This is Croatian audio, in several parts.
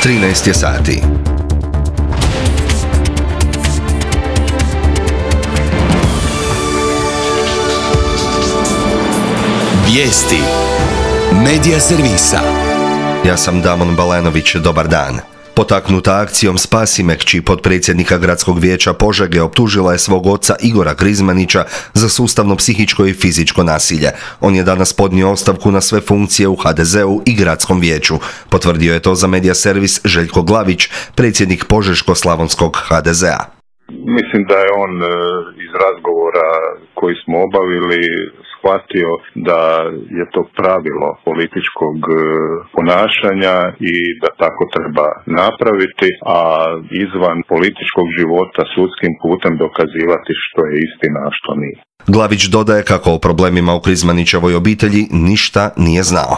13 je sati. Vijesti Medija servisa. Ja sam Damon Balenović, dobar dan. Potaknuta akcijom Spasi me kći, potpredsjednika Gradskog vijeća Požege optužila je svog oca Igora Krizmanića za sustavno psihičko i fizičko nasilje. On je danas podnio ostavku na sve funkcije u HDZ-u i Gradskom vijeću. Potvrdio je to za Medija servis Željko Glavić, predsjednik Požeško-slavonskog HDZ-a. Mislim da je on iz razgovora koji smo obavili shvatio da je to pravilo političkog ponašanja i da tako treba napraviti, a izvan političkog života sudskim putem dokazivati što je istina, a što nije. Glavić dodaje kako o problemima u Krizmanićevoj obitelji ništa nije znao.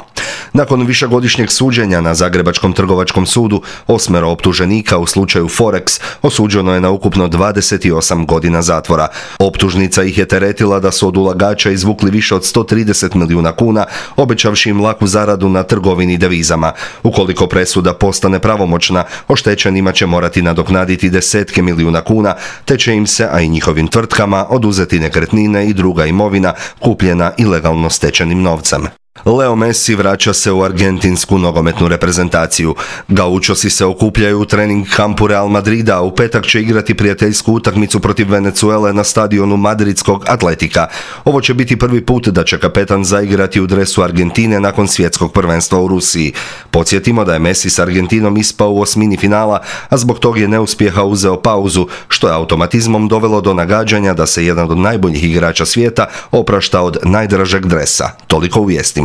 Nakon višegodišnjeg suđenja na Zagrebačkom trgovačkom sudu, 8 optuženika u slučaju Forex osuđeno je na ukupno 28 godina zatvora. Optužnica ih je teretila da su od ulagača izvukli više od 130 milijuna kuna, obećavši im laku zaradu na trgovini devizama. Ukoliko presuda postane pravomoćna, oštećenima će morati nadoknaditi desetke milijuna kuna, te će im se, a i njihovim tvrtkama, oduzeti nekretnine i druga imovina kupljena ilegalno stečenim novcem. Leo Messi vraća se u argentinsku nogometnu reprezentaciju. Gaučosi se okupljaju u trening kampu Real Madrida, a u petak će igrati prijateljsku utakmicu protiv Venezuele na stadionu madridskog Atletika. Ovo će biti prvi put da će kapetan zaigrati u dresu Argentine nakon svjetskog prvenstva u Rusiji. Podsjetimo da je Messi s Argentinom ispao u osmini finala, a zbog tog je neuspjeha uzeo pauzu, što je automatizmom dovelo do nagađanja da se jedan od najboljih igrača svijeta oprašta od najdražeg dresa. Toliko u vijestima.